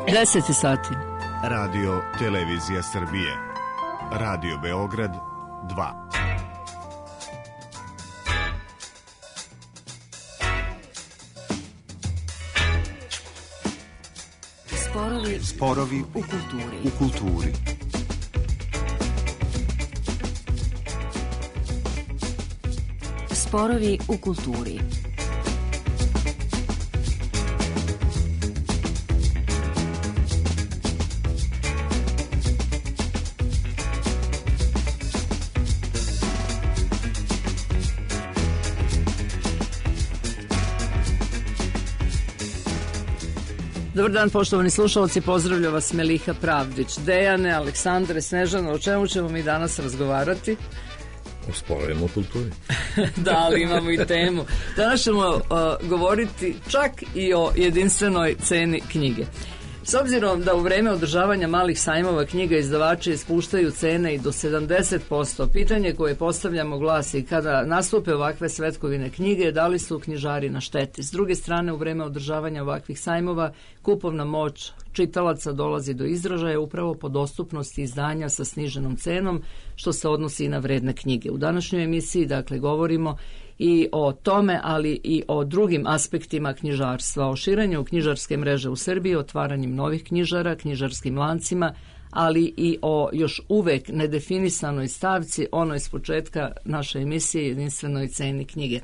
10 sati. Radio Televizija Srbije. Radio Beograd 2. Sporovi u kulturi. Sporovi u kulturi. Dobar dan, poštovani slušalci, pozdravlja vas Meliha Pravdić. Dejane, Aleksandre, Snežana, o čemu ćemo mi danas razgovarati? O sporovima u kulturi. Da, ali imamo i temu. Danas ćemo govoriti čak i o jedinstvenoj ceni knjige. S obzirom da u vreme održavanja malih sajmova knjiga izdavači spuštaju cene i do 70%, pitanje koje postavljamo glasi: kada nastupe ovakve svetkovine knjige, da li su knjižari na šteti? S druge strane, u vreme održavanja ovakvih sajmova kupovna moć čitalaca dolazi do izražaja upravo po dostupnosti izdanja sa sniženom cenom, što se odnosi i na vredne knjige. U današnjoj emisiji, dakle, govorimo i o tome, ali i o drugim aspektima knjižarstva, o širenju knjižarske mreže u Srbiji, otvaranjem novih knjižara, knjižarskim lancima, ali i o još uvek nedefinisanoj stavci, ono iz početka naše emisije, jedinstvenoj ceni knjige.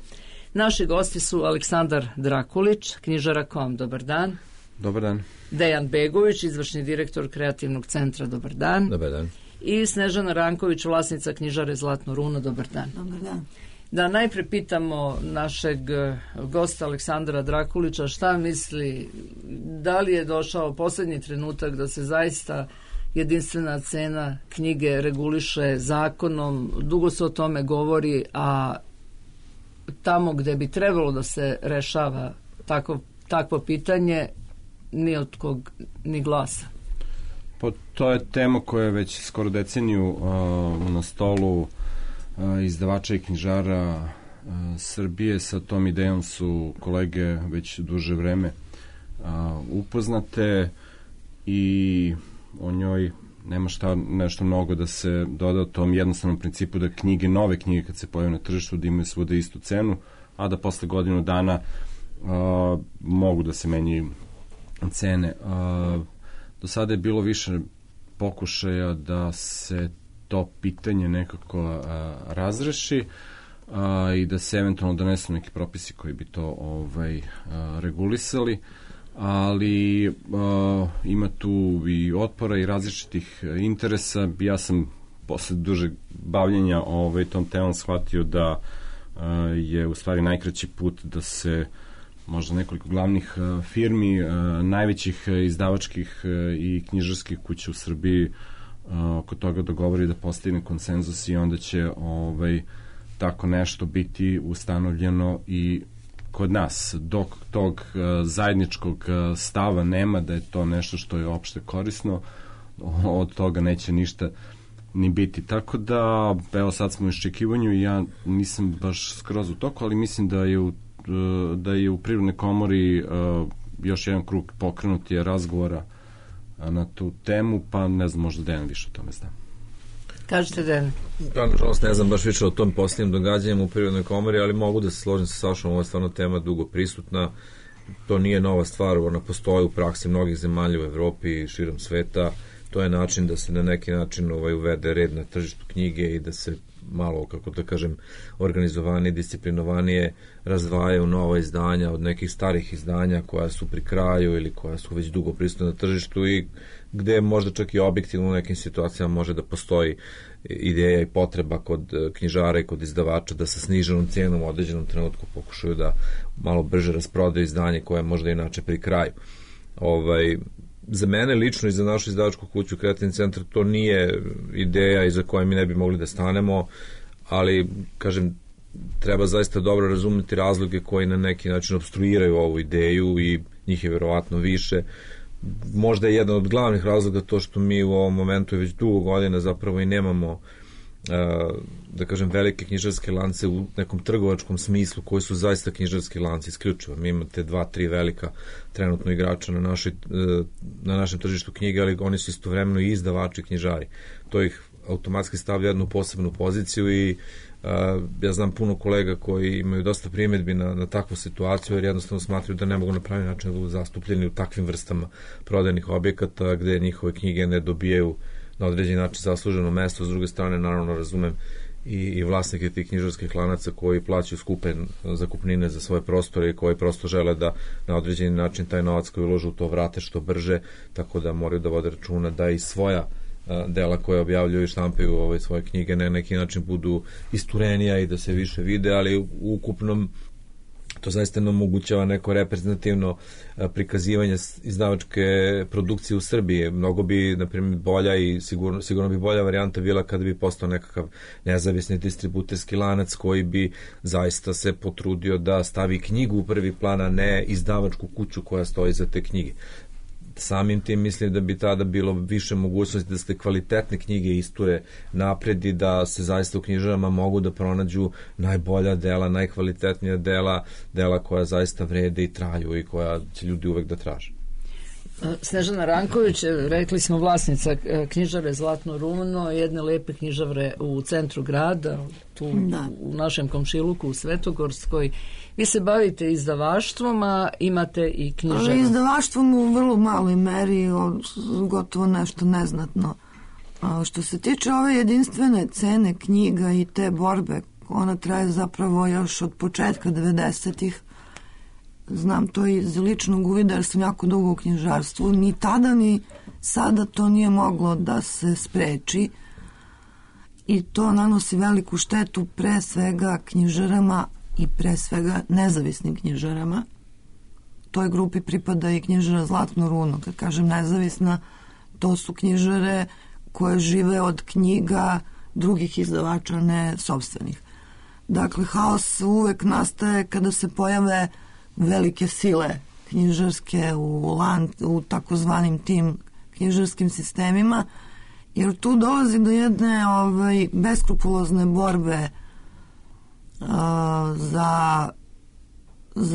Naši gosti su Aleksandar Drakulić, knjižara.com, dobar dan. Dobar dan. Dejan Begović, izvršni direktor Kreativnog centra, dobar dan. Dobar dan. I Snežana Ranković, vlasnica knjižare Zlatno runo, dobar dan. Dobar dan. Da najpre pitamo našeg gosta Aleksandra Drakulića šta misli, da li je došao poslednji trenutak da se zaista jedinstvena cena knjige reguliše zakonom. Dugo se o tome govori, a tamo gde bi trebalo da se rešava takvo pitanje, ni od kog ni glasa. Pa to je tema koja je već skoro deceniju na stolu izdavača i knjižara Srbije. Sa tom idejom su kolege već duže vreme upoznate i o njoj nema nešto mnogo da se doda o tom jednostavnom principu da knjige, nove knjige kad se pojave na tržištu, da imaju svuda istu cenu, a da posle godinu dana mogu da se menjaju cene. Do sada je bilo više pokušaja da se to pitanje nekako razreši i da se eventualno donesu neki propisi koji bi to regulisali, ali ima tu i otpora i različitih interesa. Ja sam posle dužeg bavljenja tom temom shvatio da je u stvari najkraći put da se možda nekoliko glavnih firmi, najvećih izdavačkih i knjižarskih kuća u Srbiji oko toga dogovori da postigne konsenzus i onda će tako nešto biti ustanovljeno i kod nas. Dok tog zajedničkog stava nema da je to nešto što je opšte korisno, od toga neće ništa ni biti. Tako da, evo sad smo u iščekivanju i ja nisam baš skroz u toku, ali mislim da je u Privrednoj komori još jedan krug pokrenut je razgovora na tu temu, pa ne znam, možda Dejan više o tome zna. Kažete, Dejan? Ja, nažalost, ne znam baš više o tom posljednjem događanjem u Privrednoj komori, ali mogu da se složim sa Sašom, ovo je stvarno tema dugo prisutna, to nije nova stvar, ona postoji u praksi mnogih zemalja u Evropi i širom sveta, to je način da se na neki način uvede red na tržištu knjige i da se malo, kako da kažem, organizovanije, disciplinovanije razdvajaju nova izdanja od nekih starih izdanja koja su pri kraju ili koja su već dugo prisutna na tržištu i gde možda čak i objektivno u nekim situacijama može da postoji ideja i potreba kod knjižara i kod izdavača da sa sniženom cijenom u određenom trenutku pokušaju da malo brže rasprodaju izdanje koje je možda inače pri kraju. Za mene lično i za našu izdavačku kuću Kreativni centar to nije ideja iza koje mi ne bi mogli da stanemo, ali kažem, treba zaista dobro razumeti razloge koji na neki način obstruiraju ovu ideju i njih je verovatno više. Možda je jedan od glavnih razloga to što mi u ovom momentu već dugo godina zapravo i nemamo da kažem, velike knjižarske lance u nekom trgovačkom smislu koji su zaista knjižarski lanci isključivo. Mi imate 2-3 velika trenutno igrača na našem tržištu knjige, ali oni su istovremeno i izdavači knjižari. To ih automatski stavlja jednu posebnu poziciju i ja znam puno kolega koji imaju dosta primjedbi na takvu situaciju, jer jednostavno smatraju da ne mogu na pravi način da budu zastupljeni u takvim vrstama prodajnih objekata gde njihove knjige ne dobijaju na određeni način zasluženo mesto. S druge strane, naravno, razumem i vlasnike tih knjižarskih lanaca koji plaćaju skupe zakupnine za svoje prostore i koji prosto žele da na određeni način taj novac koji uložu u to vrate što brže, tako da moraju da vode računa da i svoja dela koje objavljuju i štampaju svoje knjige na neki način budu isturenija i da se više vide, ali u ukupnom to zaista ne omogućava neko reprezentativno prikazivanje izdavačke produkcije u Srbiji. Mnogo bi, na primjer, bolja i sigurno bi bolja varijanta bila kada bi postao nekakav nezavisni distributerski lanac koji bi zaista se potrudio da stavi knjigu u prvi plan, a ne izdavačku kuću koja stoji za te knjige. Samim tim mislim da bi tada bilo više mogućnosti da se kvalitetne knjige isture napred i da se zaista u knjižarama mogu da pronađu najbolja dela, najkvalitetnija dela koja zaista vrede i traju i koja će ljudi uvek da traže. Snežana Ranković, rekli smo, vlasnica knjižare Zlatno runo, jedne lepe knjižare u centru grada, tu u našem komšiluku u Svetogorskoj. Vi se bavite izdavaštvom, a imate i knjižaru. Ali izdavaštvom u vrlo maloj meri, gotovo nešto neznatno. Što se tiče ove jedinstvene cene knjiga i te borbe, ona traje zapravo još od početka 90-ih. Znam to iz ličnog uvida jer sam jako dugo u knjižarstvu. Ni tada ni sada to nije moglo da se spreči i to nanosi veliku štetu pre svega knjižarama i pre svega nezavisnim knjižarama. Toj grupi pripada i knjižara Zlatno runo. Kad kažem nezavisna, to su knjižare koje žive od knjiga drugih izdavača, ne sopstvenih. Dakle, haos uvek nastaje kada se pojave velike sile knjižarske u takozvanim tim knjižarskim sistemima, jer tu dolazi do jedne beskrupulozne borbe za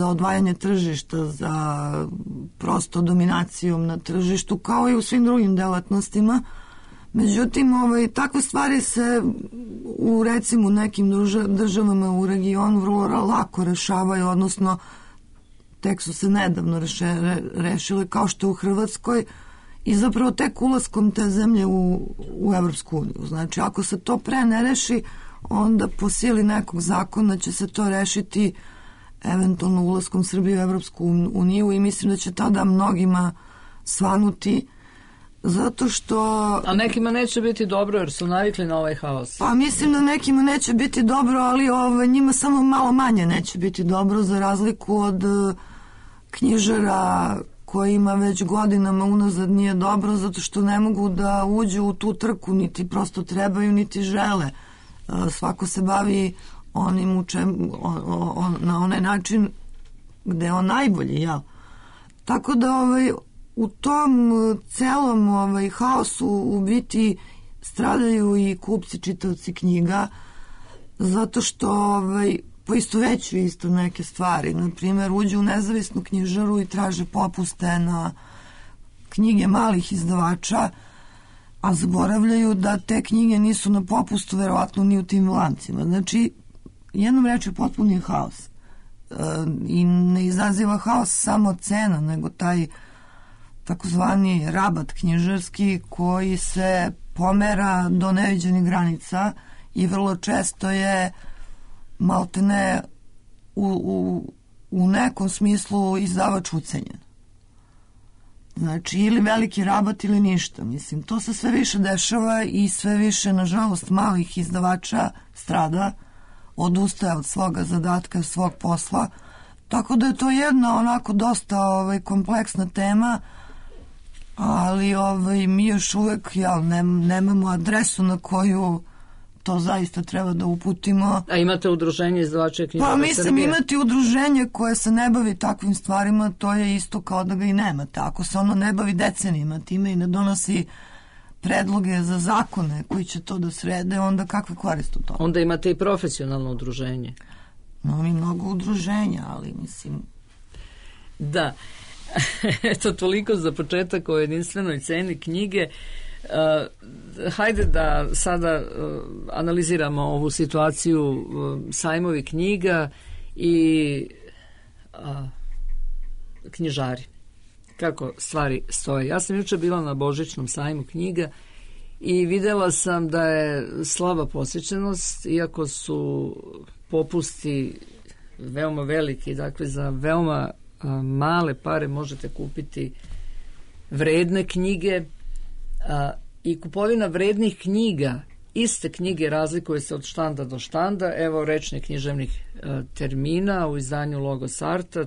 odvajanje tržišta, za prosto dominacijom na tržištu, kao i u svim drugim delatnostima. Međutim, takve stvari se u recimo nekim državama u regionu vrlo lako rešavaju, odnosno tek su se nedavno rešile, kao što u Hrvatskoj, i zapravo tek ulaskom te zemlje u Evropsku uniju. Znači, ako se to pre ne reši, onda po sili nekog zakona će se to rešiti eventualno ulaskom Srbije u Evropsku uniju i mislim da će tada mnogima svanuti, zato što... A nekima neće biti dobro jer su navikli na ovaj haos. Pa mislim da nekima neće biti dobro, ali njima samo malo manje neće biti dobro, za razliku od knjižara kojima već godinama unazad nije dobro, zato što ne mogu da uđu u tu trku, niti prosto trebaju, niti žele. Svako se bavi onim na onaj način gde je on najbolji, jel? Tako da u tom celom haosu u biti stradaju i kupci, čitaoci knjiga, zato što poistovećuju isto neke stvari. Naprimjer, uđu u nezavisnu knjižaru i traže popuste na knjige malih izdavača, a zaboravljaju da te knjige nisu na popustu verovatno ni u tim lancima. Znači, jednom reči potpuni je haos. I ne izaziva haos samo cena, nego taj takozvani rabat knjižarski koji se pomera do neviđenih granica i vrlo često je maltene u nekom smislu izdavač ucenjen. Znači, ili veliki rabat ili ništa. Mislim, to se sve više dešava i sve više, nažalost, malih izdavača strada, odustaje od svoga zadatka, svog posla. Tako da je to jedna onako dosta kompleksna tema, ali mi još uvek nemamo adresu na koju to zaista treba da uputimo. A imate udruženje izdavača knjižara Srbije? Pa mislim, imati udruženje koje se ne bavi takvim stvarima, to je isto kao da ga i nemate. Ako se ono ne bavi decenijima time i ne donosi predloge za zakone koji će to da srede, onda kakve koriste u tome? Onda imate i profesionalno udruženje. No, mi mnogo udruženja, ali mislim... Da. Eto, toliko za početak o jedinstvenoj ceni knjige. Hajde da sada analiziramo ovu situaciju sajmovi knjiga i knjižari. Kako stvari stoje. Ja sam juče bila na Božićnom sajmu knjiga i videla sam da je slaba posjećenost, iako su popusti veoma veliki, dakle za veoma male pare možete kupiti vredne knjige i kupovina vrednih knjiga, iste knjige razlikuje se od štanda do štanda. Evo rečnih književnih termina u izdanju Logos Arta,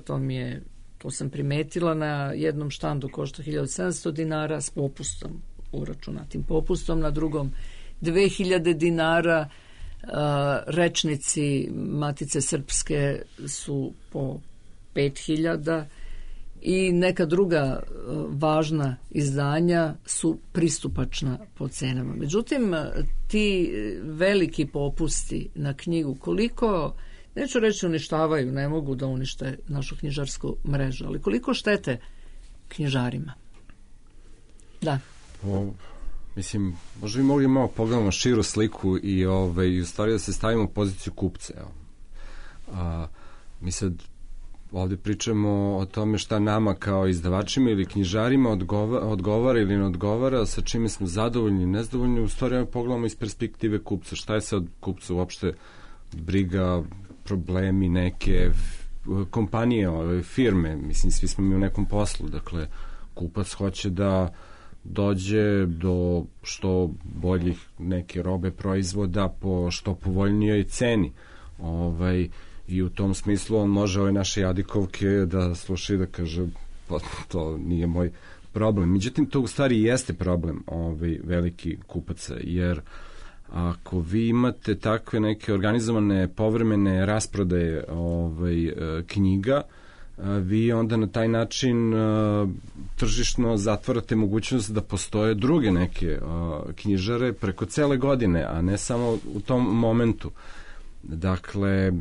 to sam primetila, na jednom štandu košta 1700 dinara s popustom, uračunatim popustom, na drugom 2000 dinara, rečnici Matice Srpske su po 5000 i neka druga važna izdanja su pristupačna po cenama. Međutim, ti veliki popusti na knjigu, koliko, neću reći uništavaju, ne mogu da unište našu knjižarsku mrežu, ali koliko štete knjižarima? Da. Mislim, možda bi mogli malo pogledamo širu sliku i u stvari da se stavimo u poziciju kupca. Mi sad ovdje pričamo o tome šta nama kao izdavačima ili knjižarima odgovara ili ne odgovara, sa čime smo zadovoljni i nezadovoljni. U stvari pogledamo iz perspektive kupca. Šta je sad kupca uopšte briga, problemi, neke kompanije, firme, mislim, svi smo mi u nekom poslu, dakle, kupac hoće da dođe do što boljih neke robe, proizvoda po što povoljnijoj ceni. I u tom smislu on može ove naše jadikovke da sluša i da kaže pa to nije moj problem. Međutim, to u stvari jeste problem veliki kupaca, jer ako vi imate takve neke organizovane povremene rasprodaje knjiga, vi onda na taj način tržišno zatvarate mogućnost da postoje druge neke knjižare preko cele godine, a ne samo u tom momentu. Dakle,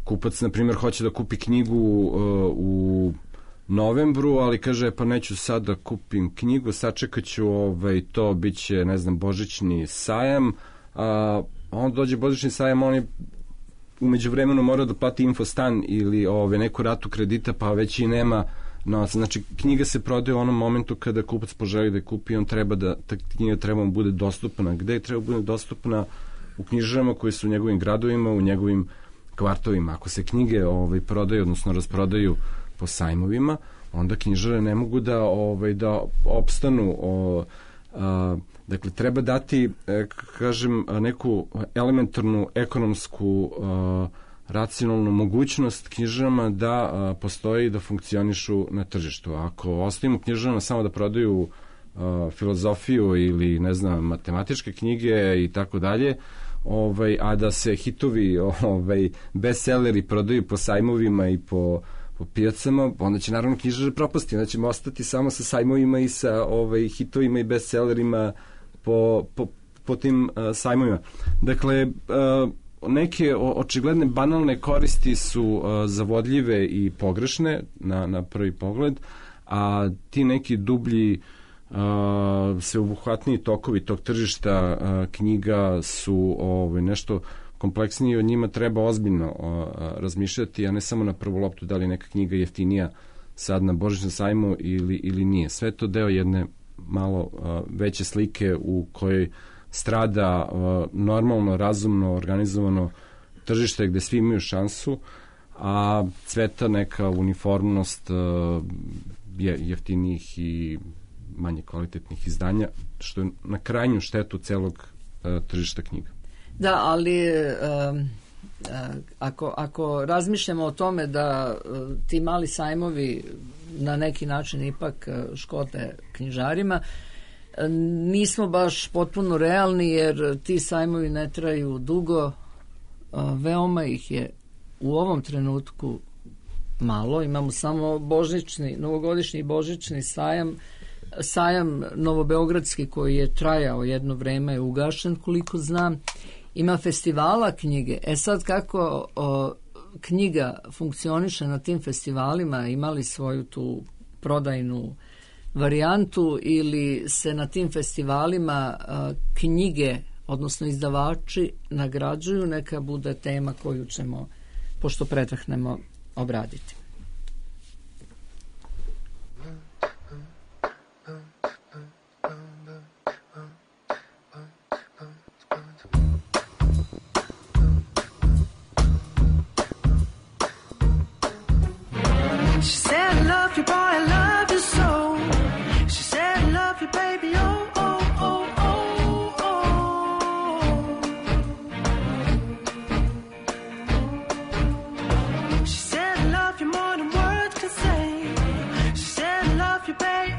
kupac, na primjer, hoće da kupi knjigu u novembru, ali kaže, pa neću sad da kupim knjigu, sačekat ću to, bit će, ne znam, božićni sajam, a on dođe božićni sajam, on je umeđu vremenu mora da plati infostan ili neku ratu kredita, pa već i nema novaca. Znači, knjiga se prodaje u onom momentu kada kupac poželi da je kupi, on treba da, ta knjiga treba mu bude dostupna. Gde je treba bude dostupna? U knjižarama koji su u njegovim gradovima, u njegovim kvartovima. Ako se knjige prodaju, odnosno rasprodaju po sajmovima, onda knjižare ne mogu da opstanu. Dakle, treba dati, kažem, neku elementarnu ekonomsku racionalnu mogućnost knjižarama da postoji i da funkcionišu na tržištu. Ako ostavimo knjižarama samo da prodaju filozofiju ili, ne znam, matematičke knjige i tako dalje, a da se hitovi, bestselleri prodaju po sajmovima i po pijacama, onda će naravno knjižare propasti, onda ćemo ostati samo sa sajmovima i sa hitovima i bestsellerima po tim sajmovima. Dakle, neke očigledne banalne koristi su zavodljive i pogrešne na prvi pogled, a ti neki dublji sveobuhvatniji tokovi tog tržišta knjiga su nešto kompleksniji, o njima treba ozbiljno razmišljati, a ne samo na prvu loptu da li neka knjiga jeftinija sad na božićnom sajmu ili nije. Sve to deo jedne malo veće slike u kojoj strada normalno, razumno, organizovano tržište gde svi imaju šansu, a cveta neka uniformnost jeftinijih i manje kvalitetnih izdanja, što je na krajnju štetu celog tržišta knjiga. Da, ali ako razmišljamo o tome da ti mali sajmovi na neki način ipak škode knjižarima, nismo baš potpuno realni, jer ti sajmovi ne traju dugo, veoma ih je u ovom trenutku malo, imamo samo novogodišnji i božićni sajam sajam novobeogradski koji je trajao jedno vreme je ugašen, koliko znam. Ima festivala knjige. Sad kako knjiga funkcioniše na tim festivalima, imali svoju tu prodajnu varijantu ili se na tim festivalima knjige, odnosno izdavači nagrađuju, neka bude tema koju ćemo, pošto predahnemo, obraditi. She said, I love you, boy, I love you so. She said, I love you, baby, oh, oh, oh, oh, oh. She said, I love you more than words can say. She said, I love you, baby.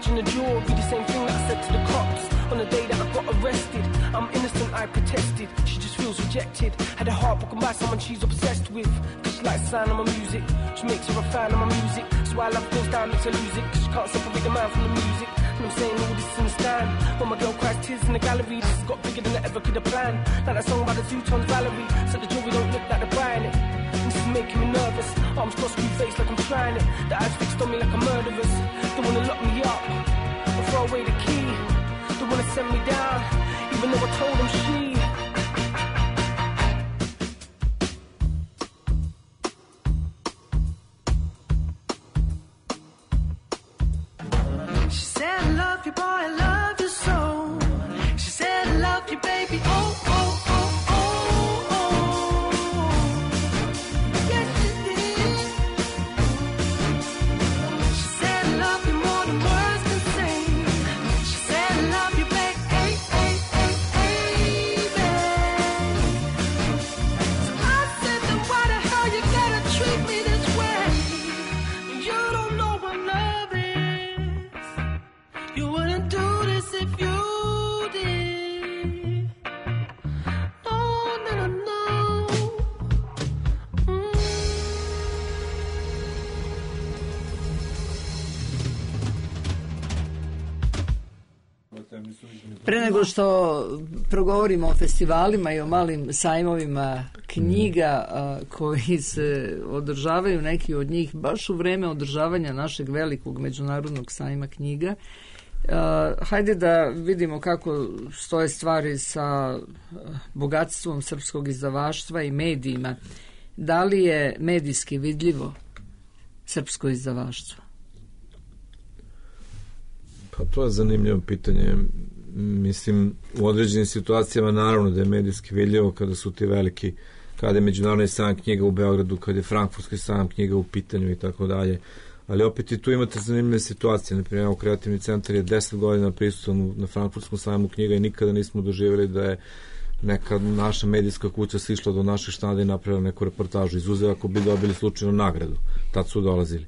In the jury, the same thing that I said to the cops on the day that I got arrested. I'm innocent, I protested. She just feels rejected. Had her heart broken by someone she's obsessed with. Cause she likes the sound of my music. She makes her a fan of my music. So why love goes down, makes her lose it. Cause she can't separate the man from the music. And I'm saying all this in the stand. When my girl cries tears in the gallery, this has got bigger than I ever could have planned. Like that song by the Zootons, Valerie. Said the jury don't look like they're buying it. This is making me nervous. Arms crossed, screw face like I'm trying it. The eyes fixed on me like a murderer's. Don't wanna lock me up or throw away the key. Don't wanna send me down, even though I told them she. She said, I love you, boy, I love you so. She said, I love you, baby, oh, oh, oh, oh, oh. Yes, she did. She said, I love you more than words can say. She said, I love you, baby, hey, hey, hey, hey, baby. So I said, then why the hell you gotta treat me this way? You don't know what love is. You wouldn't do this if you did. No, no, no, no. Pre nego što progovorimo o festivalima i o malim sajmovima knjiga koji se održavaju, neki od njih baš u vreme održavanja našeg velikog međunarodnog sajma knjiga, hajde da vidimo kako stoje stvari sa bogatstvom srpskog izdavaštva i medijima. Da li je medijski vidljivo srpsko izdavaštvo? Pa to je zanimljivo pitanje. Mislim, u određenim situacijama naravno da je medijski vidljivo kada su ti veliki, kada je međunarodni sajam knjiga u Beogradu, kada je frankfurtski sajam knjiga u pitanju i tako dalje. Ali opet i tu imate zanimljive situacije. Naprimjer, Kreativni centar je 10 godina prisutan na frankfurtskom sajmu knjiga i nikada nismo doživjeli da je neka naša medijska kuća sišla do naših štanda i napravila neku reportažu. Izuzev ako bi dobili slučajno nagradu. Tad su dolazili.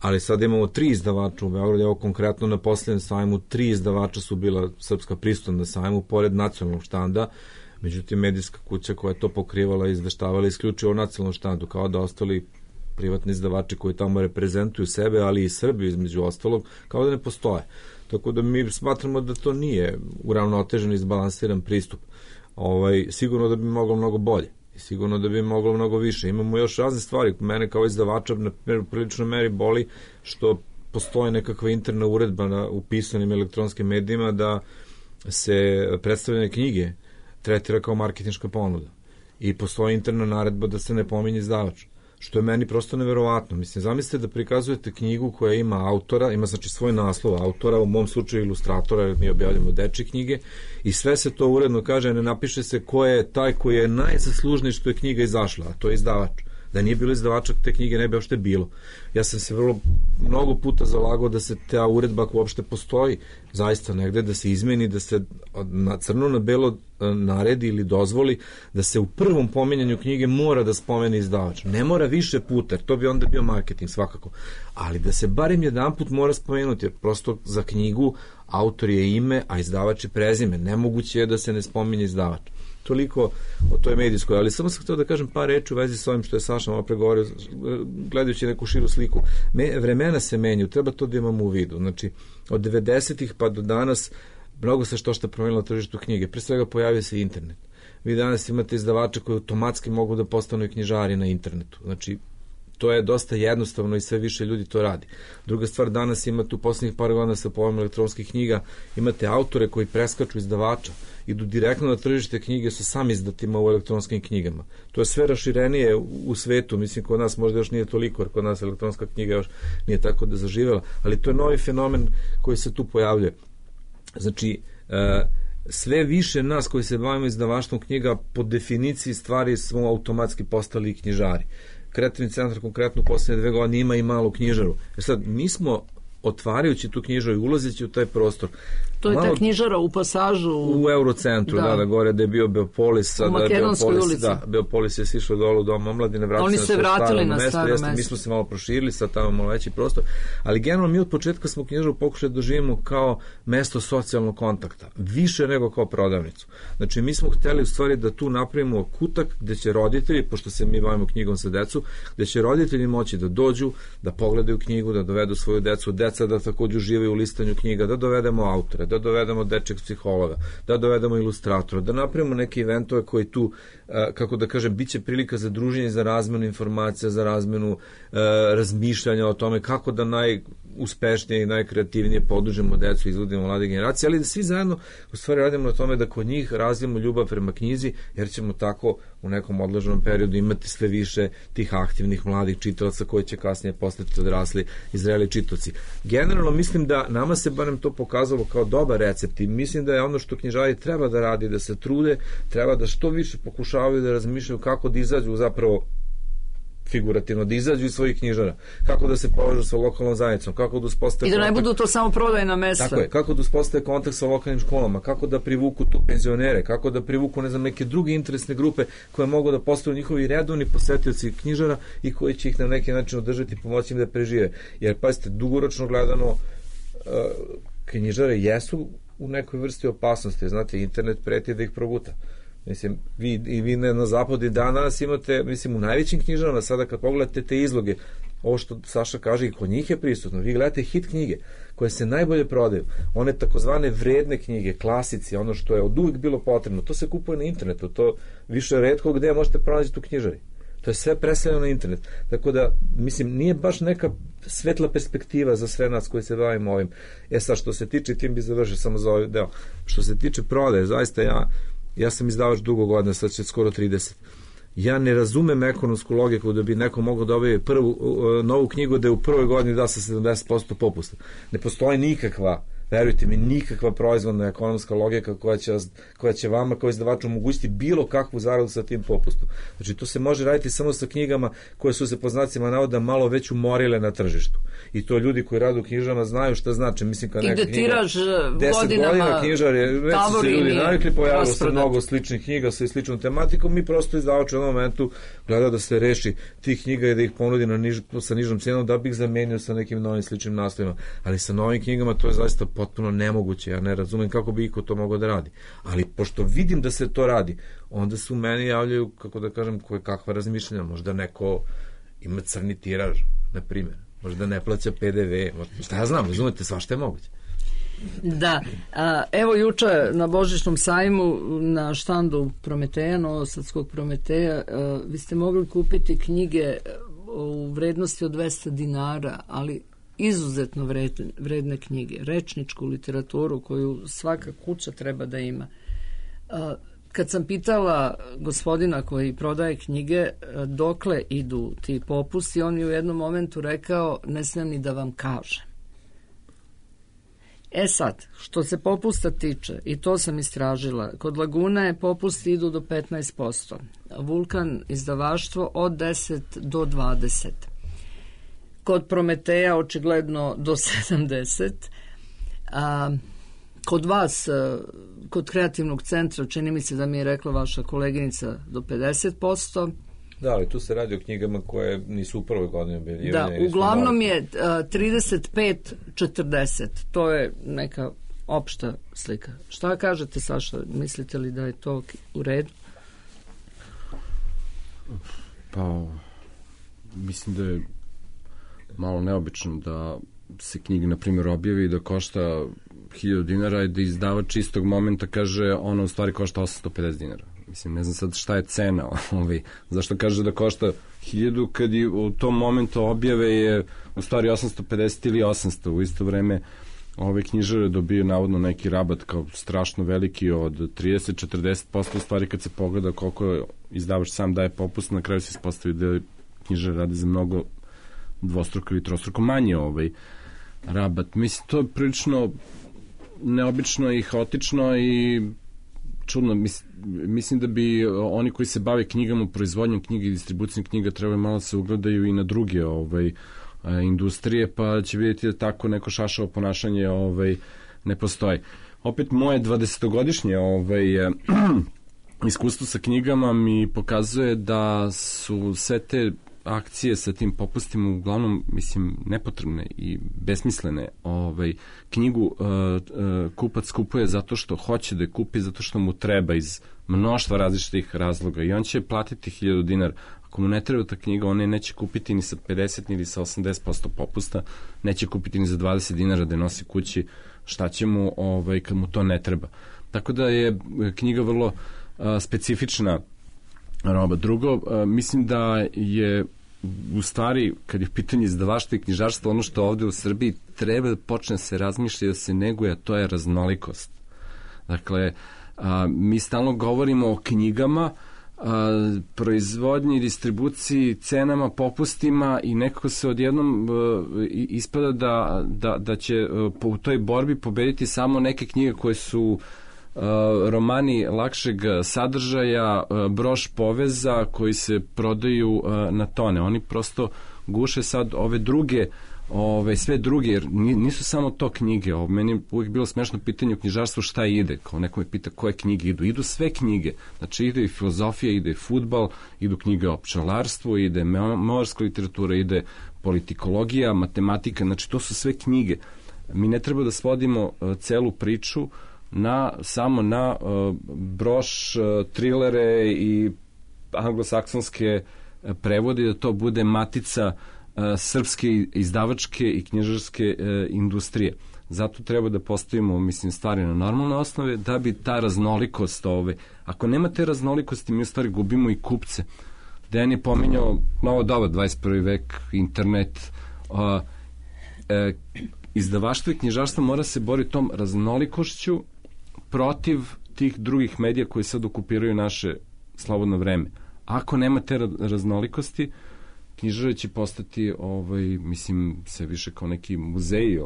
Ali sad imamo 3 izdavača u Beogradu, evo konkretno na posljednjem sajmu 3 izdavača su bila srpska prisutna na sajmu, pored nacionalnog štanda. Međutim, medijska kuća koja je to pokrivala i izveštavala isključivo o nacionalnom štandu, kao da ostali privatni izdavači koji tamo reprezentuju sebe, ali i Srbiju između ostalog, kao da ne postoje. Tako da mi smatramo da to nije uravnotežen i izbalansiran pristup. Sigurno da bi moglo mnogo bolje. I sigurno da bi moglo mnogo više. Imamo još razne stvari. Mene kao izdavača na priličnoj meri boli što postoji nekakva interna uredba u pisanim elektronskim medijima da se predstavljene knjige tretira kao marketinška ponuda. I postoji interna naredba da se ne pominje izdavač. Što je meni prosto neverovatno. Mislim, zamislite da prikazujete knjigu koja ima autora, ima znači svoj naslov autora, u mom slučaju ilustratora, jer mi objavljamo dečje knjige, i sve se to uredno kaže, ne napiše se ko je taj koji je najzaslužniji što je knjiga izašla, a to je izdavač. Da nije bilo izdavača, te knjige ne bi uopšte bilo. Ja sam se mnogo puta zalagao da se ta uredba koja uopšte postoji zaista negde, da se izmeni, da se na crno na belo naredi ili dozvoli da se u prvom pominjanju knjige mora da spomene izdavač. Ne mora više puta, jer to bi onda bio marketing svakako. Ali da se barem jedanput mora spomenuti, jer prosto za knjigu autor je ime, a izdavač je prezime. Nemoguće je da se ne spominje izdavač. Toliko o toj medijskoj, ali samo sam htio da kažem par reči u vezi s ovim što je Saša malo pregovorio, gledajući neku širu sliku. Vremena se menju, treba to da imamo u vidu. Znači, od 90-ih pa do danas mnogo se što promenilo na tržištu knjige. Pre svega pojavio se internet. Vi danas imate izdavače koji automatski mogu da postanu i knjižari na internetu. Znači, to je dosta jednostavno i sve više ljudi to radi. Druga stvar, danas imate u poslednjih par godina sa pojavom elektronskih knjiga, imate autore koji preskaču izdavača, idu direktno na tržište knjige sa samizdatima u elektronskim knjigama. To je sve raširenije u svetu, mislim kod nas možda još nije toliko, jer kod nas elektronska knjiga još nije tako da zaživela, ali to je novi fenomen koji se tu pojavljuje. Znači, sve više nas koji se bavimo izdavaštvom knjiga po definiciji stvari smo automatski postali knjižari. Kreativni centar konkretno u posljednje 2 godine ima i malu knjižaru. Jer sad, mi smo otvarajući tu knjižaru i ulazeći u taj prostor. To je ta knjižara u Pasažu. U Eurocentru, da, gore da je bio Beopolis. U Makedonskoj ulici. Da, Beopolis je sišao dole u Dom omladine, oni se vratili na staro mesto. Mi smo se malo proširili, sad tamo malo veći prostor, ali generalno mi od početka smo knjižaru pokušali da doživimo kao mesto socijalnog kontakta, više nego kao prodavnicu. Znači, mi smo hteli u stvari da tu napravimo kutak gde će roditelji, pošto se mi bavimo knjigom sa decu, gde će roditelji moći da dođu, da pogledaju knjigu, da dovedu svoju decu, deca da takođe uživaju u listanju knjiga, da dovedemo autore, da dovedemo dečeg psihologa, da dovedemo ilustratora, da napravimo neke eventove koji tu, kako da kažem, bit će prilika za druženje, za razmenu informacija, za razmenu razmišljanja o tome kako da najuspešnije i najkreativnije podužemo decu i izvodimo mlade generacije, ali da svi zajedno u stvari radimo na tome da kod njih razvijemo ljubav prema knjizi, jer ćemo tako u nekom odloženom periodu imati sve više tih aktivnih mladih čitalaca koji će kasnije postati odrasli i zreli čitaoci. Generalno mislim da nama se barem to pokazalo kao dobar recept i mislim da je ono što knjižari treba da radi, da se trude, treba da što više pokušavaju da razmišljaju kako da izađu zapravo figurativno, da izađu iz svojih knjižara, kako da se povežu sa lokalnom zajednicom, kako da uspostave i da ne budu to samo prodajna mesta. Tako je, kako da uspostave kontakt sa lokalnim školama, kako da privuku tu penzionere, kako da privuku, ne znam, neke druge interesne grupe koje mogu da postanu njihovi redovni posetioci knjižara i koji će ih na neki način održati i pomoći im da prežive. Jer, pazite, dugoročno gledano, knjižare jesu u nekoj vrsti opasnosti. Znate, internet preti da ih proguta. Mislim, vi na zapadu i danas imate, mislim, u najvećim knjižarama, sada kad pogledate te izloge, ovo što Saša kaže i kod njih je prisutno, vi gledate hit knjige koje se najbolje prodaju, one takozvane vredne knjige, klasici, ono što je od uvijek bilo potrebno, to se kupuje na internetu, to više retko gde možete pronaći u knjižari. To je sve preseljeno na internet. Tako da, mislim, nije baš neka svetla perspektiva za sve nas koji se bavimo ovim. Sad, što se tiče, tim bi završio samo za ovaj deo, što se tiče prodaje, zaista ja sam izdavač dugo godina, sad će skoro 30. Ja ne razumem ekonomsku logiku da bi neko mogao da objavi novu knjigu da je u prvoj godini da sa 70% popusta. Ne postoji nikakva, verujte mi, nikakva proizvodna ekonomska logika koja će vama kao izdavaču omogućiti bilo kakvu zaradu sa tim popustom. Znači, to se može raditi samo sa knjigama koje su se po znacima navoda malo već umorile na tržištu. I to ljudi koji rade u knjižama znaju šta znači. Mislim, kad neka knjiga 10 godina knjižare, već su se ljudi navikli, pojavilo se mnogo sličnih knjiga sa sličnom tematikom, mi prosto izdavač u jednom momentu gleda da se reši tih knjiga i da ih ponudi sa nižom cijenom da bi ih zamenio sa nekim novim sličnim naslovima. Ali sa novim knjigama to je zaista potpuno nemoguće, ja ne razumem kako bi iko to mogao da radi. Ali pošto vidim da se to radi, onda se u meni javljaju, kako da kažem, kakva razmišljanja. Možda neko ima crni tiraž, na primjer. Možda ne plaća PDV. Šta ja znam, razumete, svašta je moguće. Da, evo juče na Božićnom sajmu na štandu Prometeja, Novosadskog Prometeja, vi ste mogli kupiti knjige u vrednosti od 200 dinara, ali izuzetno vredne knjige, rečničku literaturu koju svaka kuća treba da ima. Kad sam pitala gospodina koji prodaje knjige dokle idu ti popusti, on je u jednom momentu rekao, ne smijem ni da vam kažem. E sad, što se popusta tiče, i to sam istražila, kod Laguna popusti idu do 15%, Vulkan izdavaštvo od 10 do 20%, kod Prometeja očigledno do 70%, kod vas, kod Kreativnog centra, čini mi se da mi je rekla vaša koleginica, do 50%. Da, ali tu se radi o knjigama koje nisu u prvoj godini objavljivanja. Da, uglavnom je 35-40. To je neka opšta slika. Šta kažete, Saša? Mislite li da je to u redu? Pa, mislim da je malo neobično da se knjiga, na primjer, objavi da košta 1000 dinara i da izdavač istog momenta kaže ona u stvari košta 850 dinara. Mislim, ne znam sad šta je cena, zašto kaže da košta 1000 kad i u tom momentu objave je u stvari 850 ili 800. U isto vreme ove knjižare dobiju navodno neki rabat kao strašno veliki od 30-40%, u stvari kad se pogleda koliko izdavač sam daje popust, na kraju se ispostavi da knjižare rade za mnogo dvostruko ili trostruko manje rabat. Mislim, to je prilično neobično i haotično i čudno. Mislim da bi oni koji se bave knjigama, proizvodnjom knjiga i distribucijom knjiga trebaju malo se ugledaju i na druge industrije, pa će vidjeti da tako neko šašavo ponašanje ne postoji. Opet moje 20-godišnje iskustvo sa knjigama mi pokazuje da su sve te akcije sa tim popustima uglavnom, mislim, nepotrebne i besmislene. Knjigu kupac kupuje zato što hoće da je kupi, zato što mu treba iz mnoštva različitih razloga i on će platiti 1000 dinara. Ako mu ne treba ta knjiga, on je neće kupiti ni sa 50 ni sa 80% popusta, neće kupiti ni za 20 dinara da je nosi kući, šta će mu kad mu to ne treba. Tako da je knjiga vrlo specifična roba. Drugo, mislim da je u stvari, kad je pitanje izdavaštva i knjižarstva, ono što ovde u Srbiji treba da počne se razmišljati, da se neguje, a to je raznolikost. Dakle, mi stalno govorimo o knjigama, proizvodnji, distribuciji, cenama, popustima i nekako se odjednom ispada da će u toj borbi pobediti samo neke knjige koje su romani lakšeg sadržaja, broš poveza koji se prodaju na tone. Oni prosto guše sad ove druge, sve druge, jer nisu samo to knjige. Meni je uvijek bilo smešno pitanje u knjižarstvu šta ide. Kao neko me pita koje knjige idu. Idu sve knjige. Znači ide i filozofija, ide i fudbal, idu knjige o pčelarstvu, ide memoarska literatura, ide politikologija, matematika. Znači to su sve knjige. Mi ne treba da svodimo celu priču samo na broš, trilere i anglosaksonske prevode, da to bude matica srpske izdavačke i knjižarske industrije. Zato treba da postavimo, mislim, stvari na normalne osnove, da bi ta raznolikost, ako nema te raznolikosti, mi u stvari gubimo i kupce. Dejan je pominjao novo doba, 21. vek, internet, izdavaštvo i knjižarstvo mora se boriti tom raznolikošću protiv tih drugih medija koji sad okupiraju naše slobodno vreme. Ako nema te raznolikosti, knjižare će postati, mislim, sve više kao neki muzeji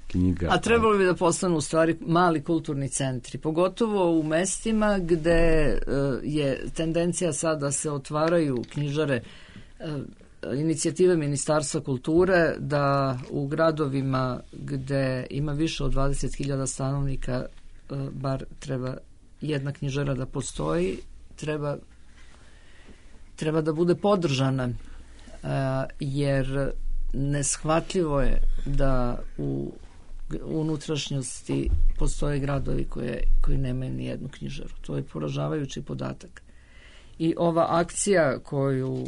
knjiga. A trebalo bi da postanu u stvari mali kulturni centri, pogotovo u mestima gde je tendencija sad da se otvaraju knjižare, inicijative Ministarstva kulture, da u gradovima gde ima više od 20.000 stanovnika bar treba jedna knjižara da postoji, treba da bude podržana, jer neshvatljivo je da u unutrašnjosti postoje gradovi koji nemaju ni jednu knjižaru. To je poražavajući podatak. I ova akcija koju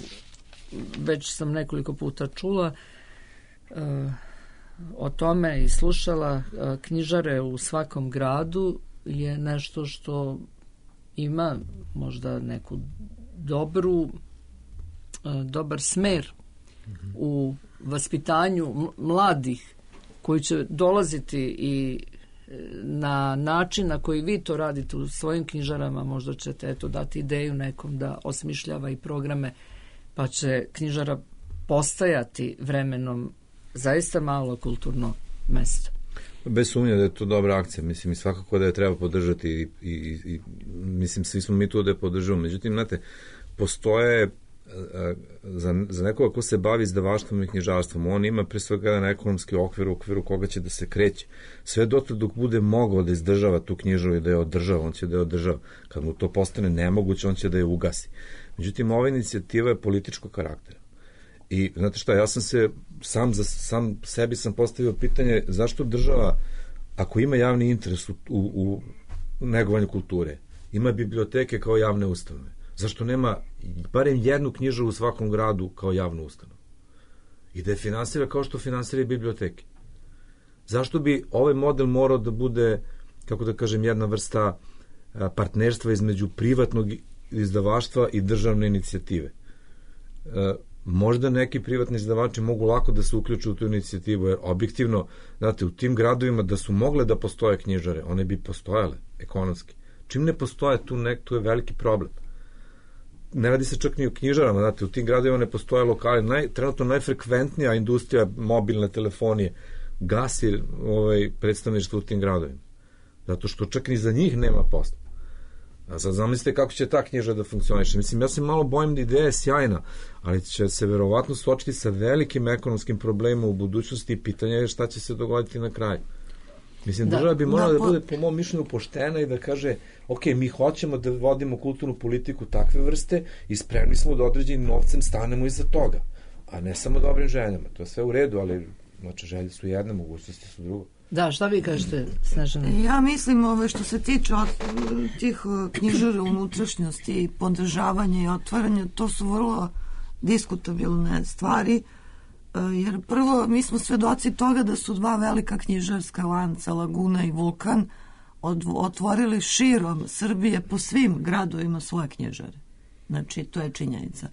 već sam nekoliko puta čula o tome i slušala, knjižare u svakom gradu, je nešto što ima možda neku dobar smer u vaspitanju mladih koji će dolaziti i na način na koji vi to radite u svojim knjižarama. Možda ćete dati ideju nekom da osmišljava i programe, pa će knjižara postajati vremenom zaista malo kulturno mesto. Bez sumnje da je to dobra akcija, mislim, i svakako da je treba podržati i mislim, svi smo mi tu da je podržavamo. Međutim, znate, postoje za nekoga ko se bavi izdavaštvom i knjižarstvom, on ima pre svega jedan ekonomski okvir u okviru koga će da se kreće. Sve dotle dok bude mogao da izdržava tu knjižaru i da je održava, on će da je održava. Kad mu to postane nemoguće, on će da je ugasi. Međutim, ova inicijativa je političkog karaktera. I znate šta, ja sam se sam sebi sam postavio pitanje zašto država, ako ima javni interes u negovanju kulture, ima biblioteke kao javne ustanove, zašto nema barem jednu knjižaru u svakom gradu kao javnu ustanovu i da je finansira kao što finansira i biblioteke? Zašto bi ovaj model morao da bude, kako da kažem, jedna vrsta partnerstva između privatnog izdavaštva i državne inicijative? Možda neki privatni izdavači mogu lako da se uključu u tu inicijativu, jer objektivno, znate, u tim gradovima da su mogle da postoje knjižare, one bi postojale ekonomski. Čim ne postoje, tu je veliki problem. Ne radi se čak ni o knjižarama, znate, u tim gradovima ne postoje lokali. Trenutno najfrekventnija industrija mobilne telefonije gasi predstavništvo u tim gradovima. Zato što čak ni za njih nema posla. A sad zamislite kako će ta knjiža da funkcioniše. Mislim, ja se malo bojim da ideja je sjajna, ali će se verovatno suočiti sa velikim ekonomskim problemima u budućnosti i pitanje je šta će se dogoditi na kraju. Mislim, država bi morala da bude, po mom mišljenju, poštena i da kaže, ok, mi hoćemo da vodimo kulturnu politiku takve vrste i spremni smo da određenim novcem stanemo iza toga, a ne samo dobrim željama. To je sve u redu, ali znači, želje su jedne, mogućnosti su drugo. Da, šta vi kažete, Snežana? Ja mislim, što se tiče tih knjižara unutrašnjosti i podržavanja i otvaranja, to su vrlo diskutabilne stvari, jer prvo, mi smo svedoci toga da su dva velika knjižarska lanca, Laguna i Vulkan, otvorili širom Srbije po svim gradovima svoje knjižare. Znači, to je činjenica.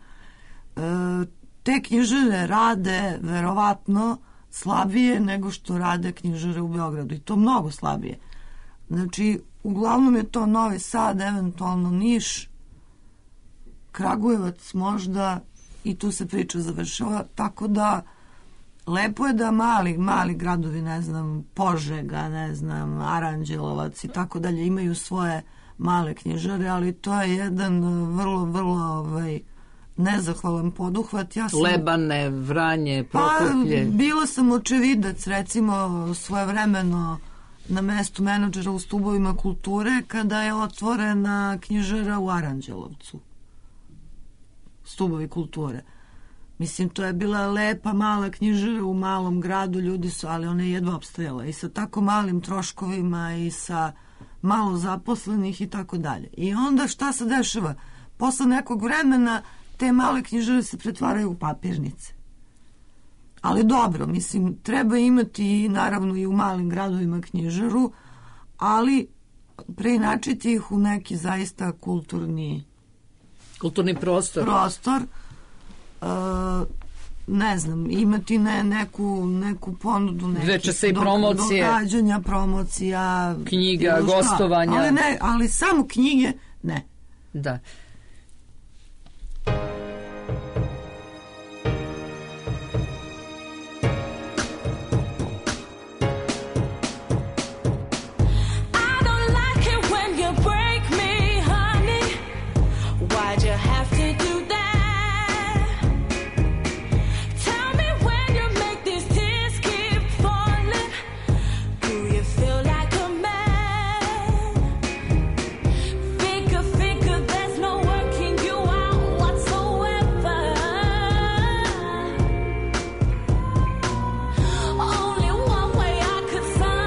Te knjižare rade verovatno slabije nego što rade knjižare u Beogradu, i to mnogo slabije. Znači, uglavnom je to Novi Sad, eventualno Niš, Kragujevac možda, i tu se priča završava, tako da lepo je da mali gradovi, ne znam, Požega, ne znam, Aranđelovac i tako dalje, imaju svoje male knjižare, ali to je jedan vrlo nezahvalan poduhvat. Lebane, Vranje, Prokuplje. Bila sam očevidac, recimo, svojevremeno na mestu menadžera u Stubovima kulture, kada je otvorena knjižara u Aranđelovcu. Stubovi kulture. Mislim, to je bila lepa mala knjižara u malom gradu, ljudi su, ali ona je jedva opstajala i sa tako malim troškovima i sa malo zaposlenih i tako dalje. I onda šta se dešava? Posle nekog vremena te male knjižare se pretvaraju u papirnice. Ali dobro, mislim, treba imati naravno i u malim gradovima knjižaru, ali preinačiti ih u neki zaista kulturni prostor. Ne znam, imati neku ponudu, neke događanja, promocija, knjiga, gostovanja. Ali samo knjige, ne. Da. Only one way I could find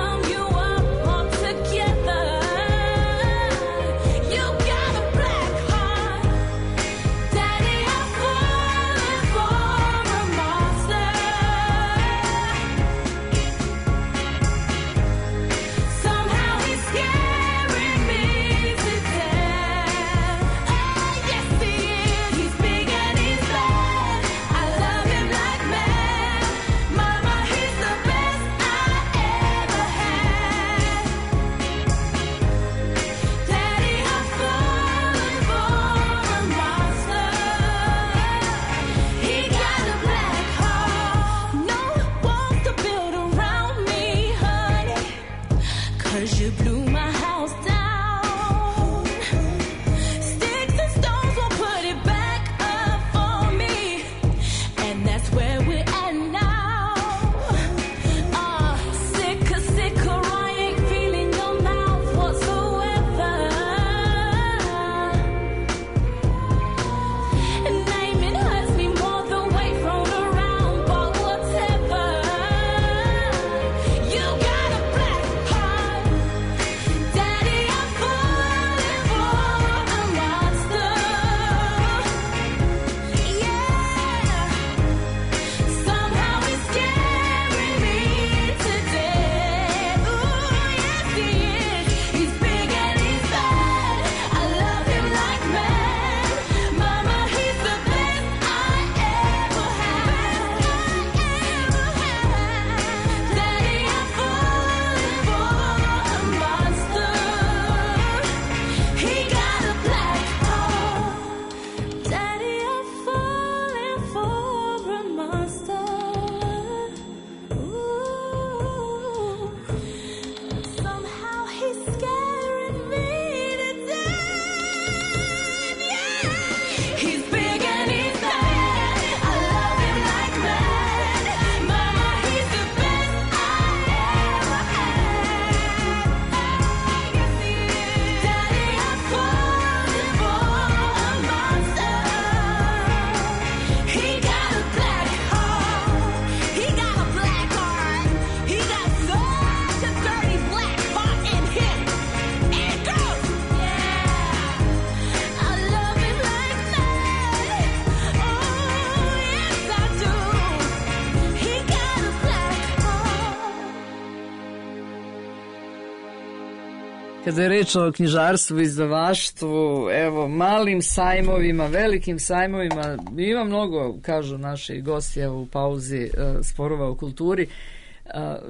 kada je reč o knjižarstvu, izdavaštvu, evo, malim sajmovima, velikim sajmovima, ima mnogo, kažu naši gosti u pauzi sporova u kulturi,